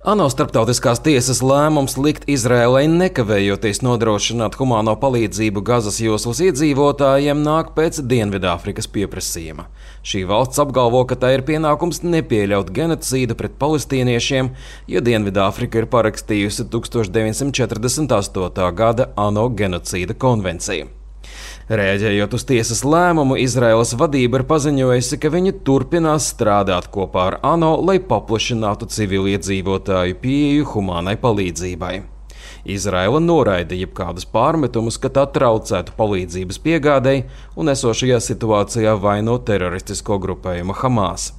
ANO starptautiskās tiesas lēmums likt Izraēlai nekavējoties nodrošināt humāno palīdzību Gazas joslas iedzīvotājiem nāk pēc Dienvidāfrikas pieprasījuma. Šī valsts apgalvo, ka tā ir pienākums nepieļaut genocīdu pret palestīniešiem, jo Dienvidāfrika ir parakstījusi 1948. gada ANO genocīda konvenciju. Rēģējot uz tiesas lēmumu, Izraēlas vadība ir paziņojusi, ka viņi turpinās strādāt kopā ar ANO, lai paplašinātu civiliedzīvotāju pieeju humānai palīdzībai. Izraēla noraida jebkādus pārmetumus, ka tā traucētu palīdzības piegādei un esošajā situācijā vaino teroristisko grupējumu Hamas.